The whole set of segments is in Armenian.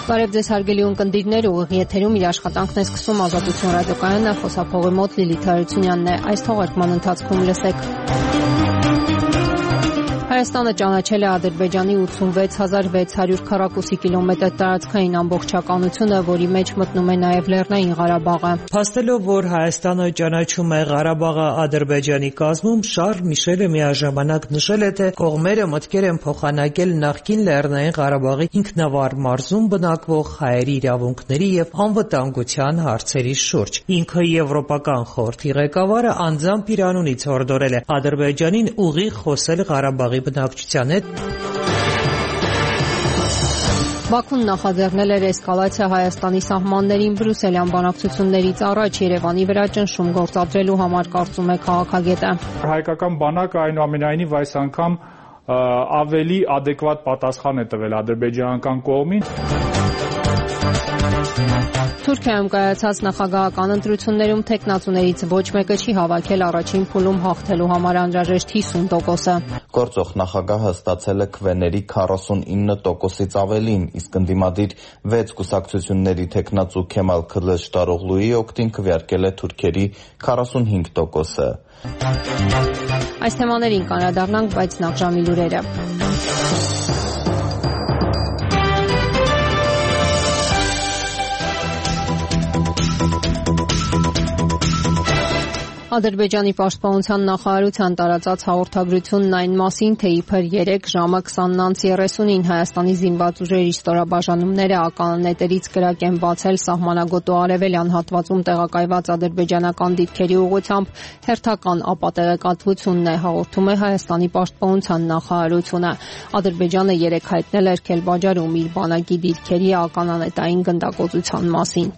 Բարև ձեզ հարգելի ունկնդիրներ, ուղիղ եթերում իր աշխատանքն է սկսում Ազատություն ռադիոկայանը, խոսափողի մոտ Լիլիթ Հարությունյանն է։ Այս թողարկման ընթացքում լսեք. Հայաստանը ճանաչել է Ադրբեջանի 86600 քառակուսի կիլոմետր տարածքային ամբողջականությունը, որի մեջ մտնում է նաև Լեռնային Ղարաբաղը։ Փաստելով, որ Հայաստանը ճանաչում է Ղարաբաղը Ադրբեջանի կազմում, Շարլ Միշելը միաժամանակ նշել է, թե կողմերը մտքեր են փոխանակել նախկին Լեռնային Ղարաբաղի ինքնավար մարզում բնակվող հայերի իրավունքների եւ անվտանգության հարցերի շուրջ։ Ինքը Եվրոպական խորհրդի ղեկավարը անձամբ Իրանունից հորդորել է Ադրբեջանին ուղիղ խոսել Ղարաբաղի բնակչության հետ։ Բաքուն նախաձեռնել էր էսկալացիա Հայաստանի սահմաններին բրյուսելյան բանակցություններից առաջ Երևանի վրա ճնշում գործադրելու համար, կարծում է քաղաքագետը։ Հայկական բանակը այնուամենայնիվ այս անգամ ավելի adekvat պատասխան է տվել ադրբեջանական կողմին։ Թուրքիայում կայացած նախագահական ընտրություններում թեկնածուներից ոչ մեկը չի հավաքել առաջին փուլում հաղթելու համար անհրաժեշտ 50%-ը։ Գործող նախագահը ստացել է քվեների 49%-ից ավելին, իսկ ընդդիմադիր 6 կուսակցությունների թեկնածու Քեմալ Քılıçdaroğlu'ի օգտին քվեարկել է թուրքերի 45%-ը։ Այս թեմաներին կանրադառնանք, բայց նախ ժամի լուրերը։ Ադրբեջանի պաշտպանության նախարարության տարածած հաղորդագրությունն այն մասին, թե իբր 3 ժամը 20:30-ին Հայաստանի զինված ուժերի ստորաբաժանումները ականանետերից կրակ են բացել սահմանագոտու արևելյան հատվածում տեղակայված ադրբեջանական դիրքերի ուղղությամբ, հերթական ապատեղեկատվությունն է, հաղորդում է Հայաստանի պաշտպանության նախարարությունը։ Ադրբեջանը 3 հայտնել էր Քելբաջարում իր բանակի դիրքերի ականանետային գնդակոծության մասին։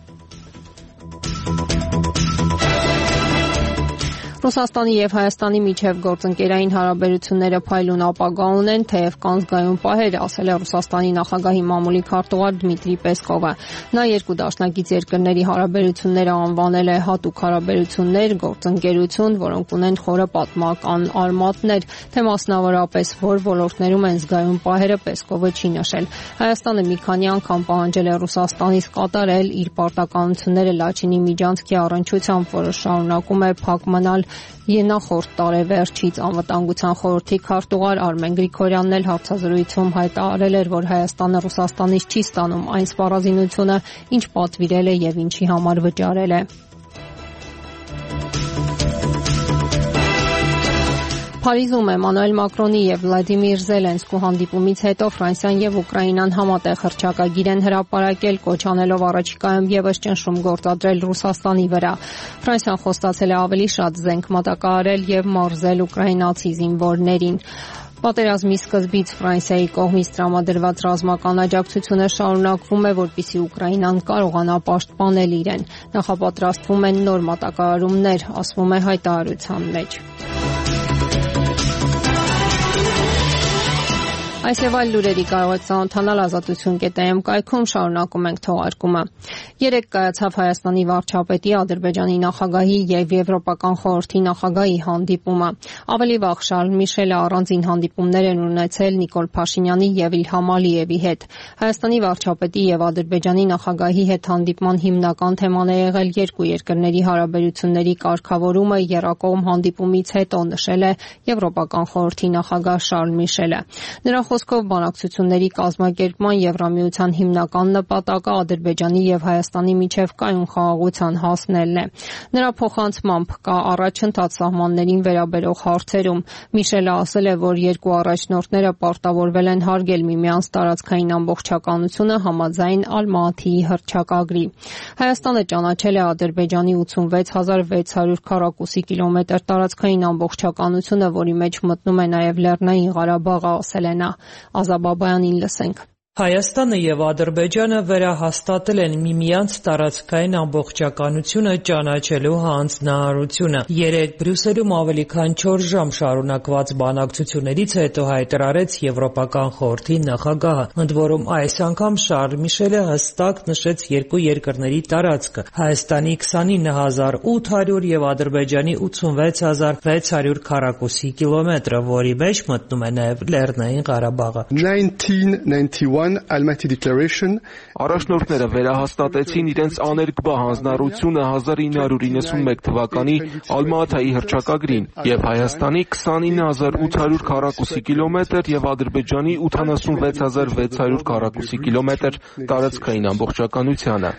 Ռուսաստանի եւ Հայաստանի միջև գործընկերային հարաբերությունները փայլուն ապագա ունեն, թեև կան զգայուն պահեր, ասել է Ռուսաստանի նախագահի մամուլի քարտուղար Դմիտրի Պեսկովը։ Նա երկու դաշնակից երկրների հարաբերությունները անվանել է հատուկ հարաբերություններ, գործընկերություն, որոնք ունեն խորը պատմական արմատներ, թե մասնավորապես որ ոլորտներում են զգայուն պահերը, Պեսկովը չի նշել։ Հայաստանը մի քանի անգամ պահանջել է Ռուսաստանից կատարել իր պարտականությունները Լաչինի միջանցքի առնչությամբ, որը շարունակում է փակ մնալ։ Նախորդ տարեվերջից անվտանգության խորհրդի քարտուղար Արմեն Գրիգորյանն էլ հարցազրույցում հայտարարել էր, որ Հայաստանը Ռուսաստանից չի ստանում այն սպառազինությունը, ինչ պատվիրել է եւ ինչի համար վճարել է։ Փարիզում Էմանուել Մակրոնի եւ Վլադիմիր Զելենսկու հանդիպումից հետո Ֆրանսիան եւ Ուկրաինան համատեղ հռչակագիր են հրապարակել, կոչ անելով առաջիկայում եւս ճնշում գործադրել Ռուսաստանի վրա։ Ֆրանսիան խոստացել է ավելի շատ զենք մատակարարել եւ մարզել ուկրաինացի զինվորներին։ Պատերազմի սկզբից Ֆրանսիայի կողմից տրամադրված ռազմական աջակցությունը շարունակվում է, որպեսզի Ուկրաինան կարողանա պաշտպանել իրեն։ Նախապատրաստվում են նոր մատակարարումներ, ասվում է հայտարարության մեջ։ Այս եւ այլ լուրերի կարող եք ծանոթանալ ազատություն.am կայքում, շարունակում ենք թողարկումը։ Երեկ կայացավ Հայաստանի վարչապետի, Ադրբեջանի նախագահի եւ Եվրոպական խորհրդի նախագահի հանդիպումը։ Ավելի վաղ Շարլ Միշելը առանձին հանդիպումներ են ունեցել Նիկոլ Փաշինյանի եւ Իլհամ Ալիևի հետ։ Հայաստանի վարչապետի եւ Ադրբեջանի նախագահի հետ հանդիպման հիմնական թեման է եղել երկու երկրների հարաբերությունների կարգավորումը, եռակողմ հանդիպումից հետո, նշել է Եվրոպական խորհրդի նախագահ Շարլ Միշելը։ Նրա խոսքով բանակցությունների կազմակերպման Եվրամիության հիմնական նպատակը Ադրբեջանի եւ Հայաստանի միջև կայուն խաղաղության հասնելն է։ Նրա փոխանցմամբ կա առաջընթաց սահմաններին վերաբերող հարցերում։ Միշելը ասել է, որ երկու առաջնորդները պարտավորվել են հարգել միմյանց տարածքային ամբողջականությունը համաձայն Ալմատիի հռչակագրի։ Հայաստանը ճանաչել է Ադրբեջանի 86600 քառակուսի կիլոմետր տարածքային ամբողջականությունը, որի մեջ մտնում է նաև Լեռնային Ղարաբաղը, ասել է նա։ Ազաբաբայանին լսենք։ Հայաստանը եւ Ադրբեջանը վերահաստատել են միմյանց տարածքային ամբողջականությունը ճանաչելու հանձնարարությունը։ Երեկ Բրյուսելում ավելի քան 4 ժամ շարունակված բանակցություններից հետո հայտարարեց Եվրոպական խորհրդի նախագահը, ընդ որում այս անգամ Շարլ Միշելը հստակ նշեց երկու երկրների տարածքը՝ Հայաստանի 29800 եւ Ադրբեջանի 86600 քառակուսի կիլոմետրը, որի մեջ մտնում է նաեւ Լեռնային Ղարաբաղը։ 1991 Առաջնորդները վերահաստատեցին իրենց աներկբա հանձնառությունը 1991 թվականի Ալմա-Աթայի հռչակագրին և Հայաստանի 29800 քառակուսի կիլոմետր և Ադրբեջանի 86600 քառակուսի կիլոմետր տարածքային ամբողջականությանը։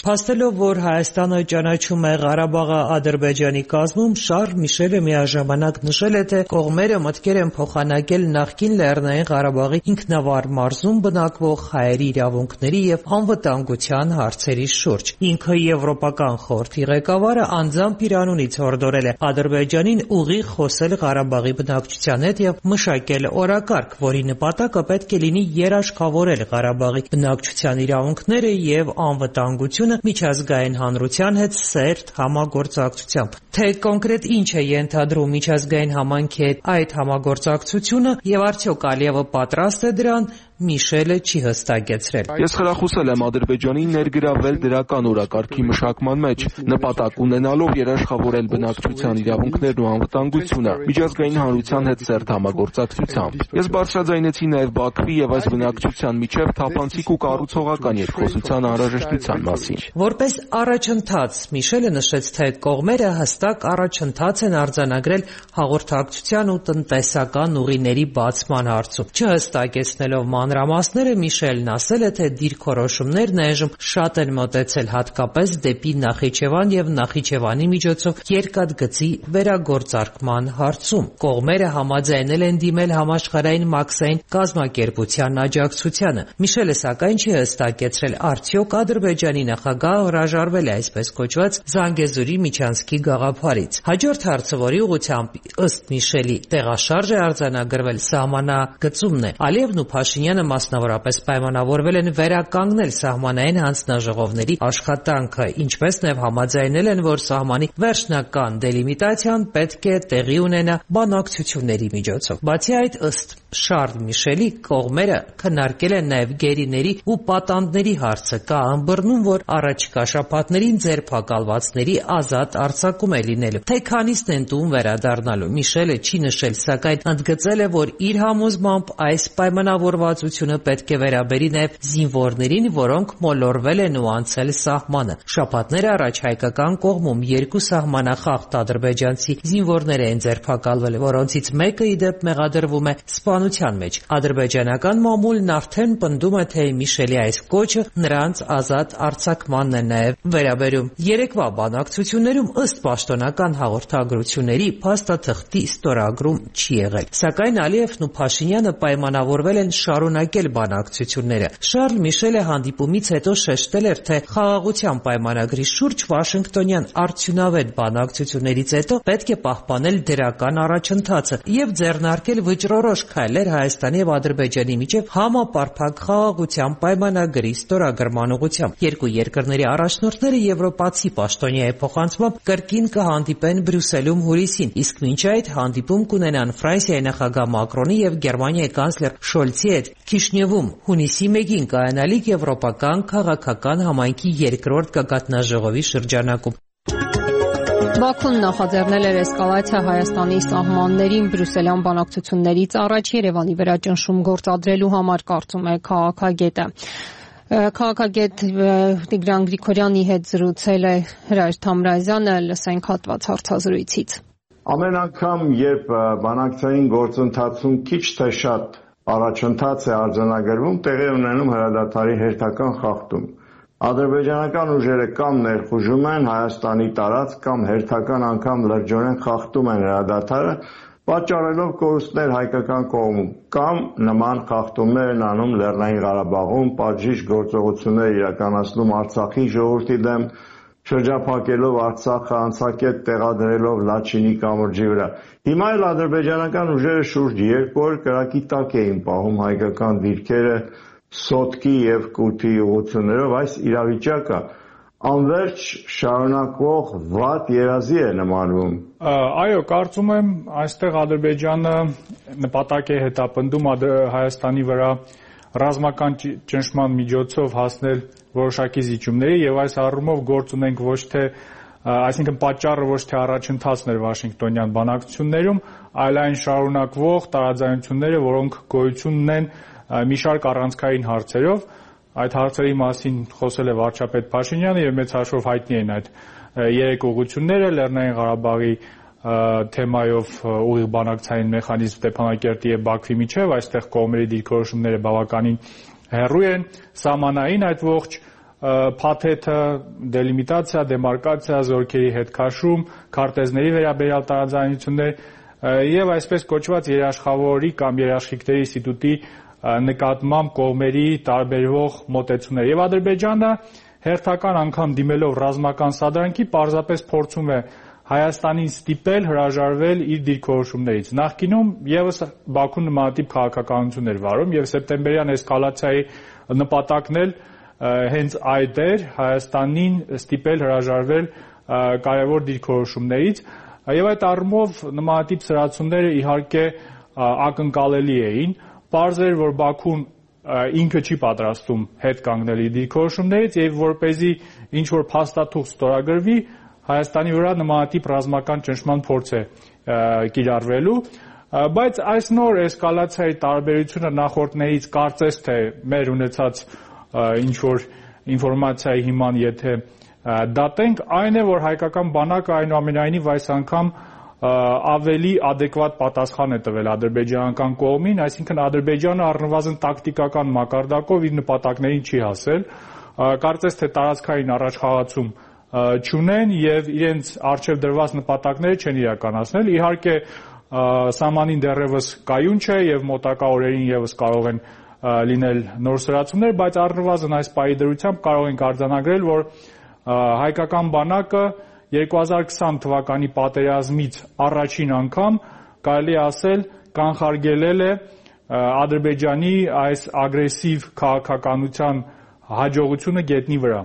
Փաստելով, որ Հայաստանը ճանաչում է Ղարաբաղը Ադրբեջանի կազմում, Շարլ Միշելը միաժամանակ նշել է, թե կողմերը մտքեր են փոխանակել նախկին Լեռնային Ղարաբաղի ինքնավար մարզում բնակվող հայերի իրավունքների և անվտանգության հարցերի շուրջ։ Ինքը Եվրոպական խորհրդի ղեկավարը անձամբ իր անունից հորդորել է Ադրբեջանին ուղիղ խոսել Ղարաբաղի բնակչության հետ և մշակել օրակարգ, որի նպատակը պետք է լինի երաշխավորել Ղարաբաղի բնակչության իրավունքները և անվտանգությունը միջազգային հանրության հետ սերտ համագործակցությամբ։ Թե կոնկրետ ինչ է ենթադրում միջազգային համայնքի հետ այդ համագործակցությունը և արդյոք Ալիևը պատրաստ է դրան, Միշելը չի հստակեցրել։ Ես խրախուսել եմ Ադրբեջանին ներգրավել դրական օրակարգի մշակման մեջ, նպատակ ունենալով երաշխավորել բնակչության իրավունքներն ու անվտանգությունը միջազգային հանրության հետ սերտ համագործակցությամբ։ Ես բարձրաձայնեցի նաև Բաքվի և այս բնակչության միջև թափանցիկ ու կառուցողական երկխոսության անհրաժեշտության մասին։ Որպես առաջընթաց, Միշելը նշեց, թե կողմերը հստակ առաջընթաց են արձանագրել հաղորդակցության ու տնտեսական ուղիների բացման հարցում։ Չհստակեցնելով մանրամասները, Միշելն ասել է, թե դիրքորոշումներն այժմ շատ են մոտեցել հատկապես դեպի Նախիջևան և Նախիջևանի միջոցով երկաթգծի վերագործարկման հարցում։ Կողմերը համաձայնել են դիմել համաշխարհային մաքսային կազմակերպության աջակցությանը։ Միշելը սակայն չի հստակեցրել, արդյոք Ադրբեջանի նախագահը հրաժարվել է այսպես կոչված Զանգեզուրի միջանցքի գաղափարից։ Հաջորդ հարցը, որի ուղղությամբ ըստ Միշելի տեղաշարժ է արձանագրվել, սահմանագծումն է։ Ալիևն ու Փաշինյանը մասնավորապես պայմանավորվել են վերականգնել սահմանային հանձնաժողովների աշխատանքը, ինչպես նաև համաձայնել են, որ սահմանի վերջնական դելիմիտացիան պետք է տեղի ունենա բանակցությունների միջոցով։ Բացի այդ, ըստ Շարլ Միշելի, կողմերը քննարկել են նաև գերիների ու պատանդների հարցը, կա ըմբռնում, որ առաջիկա շաբաթներին ձերբակալվածների ազատ արձակում է լինելու։ Թե քանիսն են տուն վերադառնալու, Միշելը չի նշել, սակայն ընդգծել է, որ իր համոզմամբ այս պայմանավորվածությունը պետք է վերաբերի նաև զինվորներին, որոնք մոլորվել են ու անցել սահմանը։ Շաբաթներ առաջ հայկական կողմում 2 սահմանախախտ ադրբեջանցի զինվորներ են ձերբակալվել, որոնցից մեկը ի դեպ մեղադրվում է սպանության մեջ։ Ադրբեջանական մամուլն արդեն պնդում է, թե Միշելի այս կոչը նրանց ազատ արձակմանն է նաև վերաբերում։ Երեկվա բանակցություններում ըստ պաշտոնական հաղորդագրությունների փաստաթղթի ստորագրում չի եղել։ Սակայն Ալիևն ու Փաշինյանը պայմանավորվել են շարունակել բանակցությունները։ Շարլ Միշելը հանդիպումից հետո շեշտել էր, թե խաղաղության պայմանագրի շուրջ Վաշինգտոնյան արդյունավետ բանակցություններից հետո պետք է պահպանել դրական առաջընթացը և ձեռնարկել վճռորոշ քայլեր Հայաստանի և Ադրբեջանի միջև համապարփակ խաղաղության պայմանագրի ստորագրման ուղղությամբ։ Երկու երկրների առաջնորդները եվրոպացի պաշտոնյայի փոխանցմամբ կրկին կհանդիպեն Բրյուսելում հուլիսին, իսկ մինչ այդ հանդիպում կունենան Ֆրանսիայի նախագահ Մակրոնի և Գերմանիայի կանցլեր Շոլցի հետ Քիշնևում հունիսի 1-ին կայանալիք Եվրոպական քաղաքական համայնքի 2-րդ գագաթնաժողովի շրջանակում։ Բաքուն նախաձեռնել էր էսկալացիա Հայաստանի սահմաններին բրյուսելյան բանակցություններից առաջ Երևանի վրա ճնշում գործադրելու համար, կարծում է քաղաքագետը։ Քաղաքագետ Տիգրան Գրիգորյանի հետ զրուցել է Հրայր Թամրազյանը, լսենք հատված հարցազրույցից։ Ամեն անգամ, երբ բանակցային գործընթացում քիչ թե շատ առաջընթաց է արձանագրվում, տեղի ունենում հրադադարի հերթական խախտում։ Ադրբեջանական ուժերը կամ ներխուժում են Հայաստանի տարածք, կամ հերթական անգամ լրջորեն խախտում են հրադադարը, պատճառելով կորուստներ հայկական կողմում, կամ նման խախտումներ են անում Լեռնային Ղարաբաղում, պատժիչ գործողություններ իրականացնում Արցախի ժողովրդի դեմ, շրջափակելով Արցախը, անցակետ տեղադրելով Լաչինի կամրջի վրա։ Հիմա էլ ադրբեջանական ուժերը շուրջ 2 օր կրակի տակ էին պահում հայկական դիրքերը Սոտկի և Կութի ուղղություններով։ Այս իրավիճակը անverջ շարունակվող վատ երազի է նմանվում։ Այո, կարծում եմ, այստեղ Ադրբեջանը նպատակ է հետապնդում Հայաստանի վրա ռազմական ճնշման միջոցով հասնել որոշակի զիջումների եւ այս առումով գործ ունենք ոչ թե, այսինքն պատճառը ոչ թե առաջընթացն էր Վաշինգտոնյան բանակցություններում, այլ այն շարունակվող տարաձայնությունները, որոնք գոյություն ունեն մի շարք առանցքային հարցերով։ Այդ հարցերի մասին խոսել է վարչապետ Փաշինյանը եւ մեծ հաշվով հայտնի են այդ 3 ուղղությունները՝ Լեռնային Ղարաբաղի թեմայով ուղիղ բանակցային մեխանիզմ Ստեփանակերտի եւ Բաքվի միջեւ, այստեղ կողմերի դիրքորոշումները բավականին հեռու են, սահմանային այդ ողջ փաթեթը, դելիմիտացիա, դեմարկացիա, զորքերի հետ քաշում, քարտեզների վերաբերյալ տարաձայնություններ եւ այսպես կոչված երաշխավորի կամ երաշխիքների ինստիտուտի նկատմամբ կողմերի տարբերվող մոտեցումներ։ Եվ Ադրբեջանը հերթական անգամ դիմելով ռազմական սադրանքի պարզապես փորձում է Հայաստանին ստիպել հրաժարվել իր դիրքորոշումներից։ Նախկինում եւս Բաքուն նմանատիպ քաղաքականություն էր վարում եւ սեպտեմբերյան էսկալացիայի նպատակն էլ հենց այդ էր՝ Հայաստանին ստիպել հրաժարվել կարևոր դիրքորոշումներից եւ այդ առումով նմանատիպ սրացումները իհարկե ակնկալելի էին։ Պարզ էր, որ Բաքուն ինքը չի պատրաստում հետ կանգնել իր դիրքորոշումներից եւ որպեսզի ինչ որ փաստաթուղթ ստորագրվի, Հայաստանի վրա նմանատիպ ռազմական ճնշման փորձ է կիրառվելու, բայց այս նոր էսկալացիայի տարբերությունը նախորդներից կարծես թե մեր ունեցած ինչ որ ինֆորմացիայի հիման եթե դատենք, այն է, որ հայկական բանակը այնուամենայնիվ այս անգամ ավելի adekvat պատասխան է տվել ադրբեջանական կողմին, այսինքն Ադրբեջանը առնվազն տակտիկական մակարդակով իր նպատակներին չի հասել, կարծես թե տարածքային առաջխաղացում չունեն եւ իրենց արժեվ դրված նպատակները չեն իրականացնել։ Իհարկե սահմանին դեռևս կայուն չէ եւ մոտակա օրերին եւս կարող են լինել նոր սրացումներ, բայց առնվազն այս պահի դրությամբ կարող ենք արձանագրել, որ հայկական բանակը 2020 թվականի պատերազմից առաջին անգամ կարելի է ասել կանխարգելել է Ադրբեջանի այս ագրեսիվ քաղաքականության հաջողությունը գետնի վրա։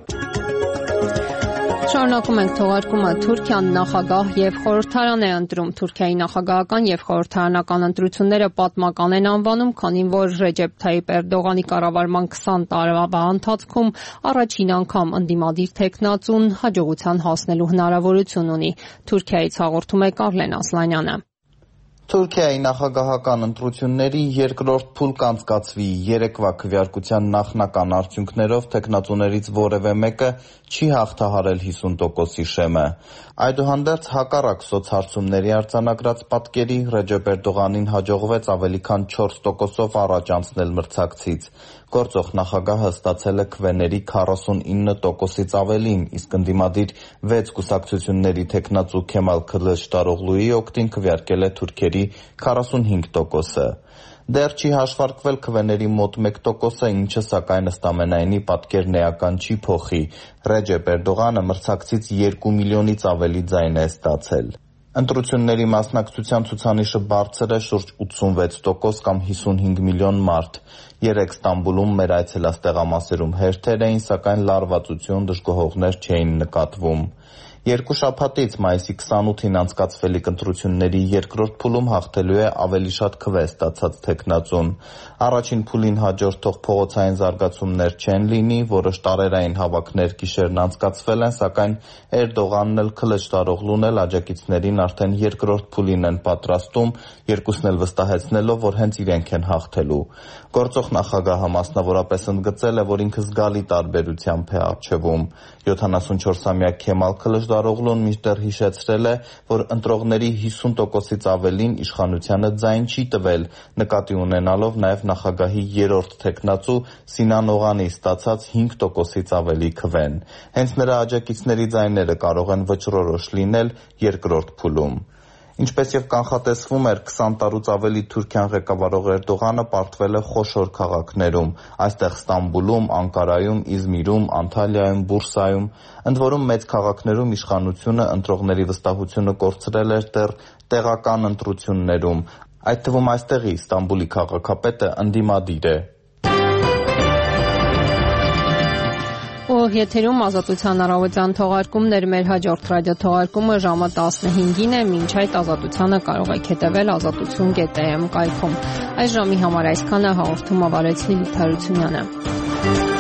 Շարունակում ենք թողարկումը։ Թուրքիան նախագահ եւ խորհրդարան է ընտրում։ Թուրքիայի նախագահական եւ խորհրդարանական ընտրությունները պատմական են անվանում, քանի որ Ռեջեփ Թայիպ Էրդողանի կառավարման 20 տարվա ընթացքում առաջին անգամ ընդդիմադիր տեխնացուն հաջողության հասնելու հնարավորություն ունի։ Թուրքիայից հաղորդում է Կարլեն Ասլանյանը։ Թուրքիայի նախագահական ընտրությունների երկրորդ փուլ կանցկացվի երեկվա քվեարկության նախնական արդյունքներով տեխնացուներից որևէ մեկը չի հաղթահարել 50%-ի շեմը։ Այդուհանդերձ հակառակ սոցհարցումների արձանագրած պատկերի Ռեջեփ Էրդողանին հաջողվեց ավելի քան 4%-ով առաջ անցնել մրցակցից։ Գործող նախագահը ստացել է քվեների 49%-ից ավելին, իսկ ընդդիմադիր 6 կուսակցությունների տեխնացու Քեմալ Քılıçdaroğlu'ի օգտին քվեարկել է թուրքերի 45%-ը։ Դեռ չի հաշվարկվել քվեների մոտ 1%-ը, ինչը սակայն ըստ ամենայնի պատկերն էական չի փոխի։ Ռեջեփ Էրդողանը մրցակցից 2 միլիոնից ավելի ձայն է ստացել։ Ընտրությունների մասնակցության ցուցանիշը բարձր է շուրջ 86% կամ 55 միլիոն մարդ։ Երեկ Ստամբուլում մեր այցելած տեղամասերում հերթեր էին, սակայն լարվածություն, դժգոհողներ չէին նկատվում։ Երկու շաբաթից մայիսի 28-ին անցկացվելիք ընտրությունների երկրորդ փուլում հաղթելու է ավելի շատ քվե ստացած տեխնացուն։ Առաջին փուլին հաջորդող փողոցային զարգացումներ չեն լինի, որոշ տարերային հավաքներ գիշերն անցկացվել են, սակայն Էրդողանն էլ Քılıçdaroğlu'ն էլ աջակիցներին արդեն երկրորդ փուլին են պատրաստում, երկուսն էլ վստահեցնելով, որ հենց իրենք են հաղթելու։ Գործող նախագահը մասնավորապես ընդգծել է, որ ինքը զգալի տարբերությամբ է առջևում։ 74-ամյա Քեմալ Քılıçdaroğlu'ն մինչդեռ հիշեցրել է, որ ընտրողների 50%-ից ավելին իշխանությանը ձայն չի տվել, նկատի ունենալով նաև նախագահի երրորդ տեխնացու Սինան Օղանի ստացած 5%-ից ավելի քվեն։ Հենց նրա աջակիցների ձայները կարող են վճռորոշ լինել երկրորդ փուլում։ Ինչպես եւ կանխատեսվում էր, 20 տարուց ավելի Թուրքիան ղեկավարող Էրդողանը պարտվել է խոշոր քաղաքներում, այստեղ Ստամբուլում, Անկարայում, Իզմիրում, Անտալիայում, Բուրսայում, ընդ որում մեծ քաղաքներում իշխանությունը ընտրողների վստահությունը կորցրել էր դեռ տեղական ընտրություններում, այդ թվում այստեղի Ստամբուլի քաղաքապետը ընդդիմադիր է։ Ուղիղ եթերում Ազատության առավոտյան թողարկումներ, մեր հաջորդ ռադիոթողարկումը ժամը 15-ին է, մինչ այդ Ազատությանը կարող եք հետևել azatutun.am կայքում։ Այս ժամի համար այսքանը, հաղորդումը վարեց Լիլիթ Հարությունյանը։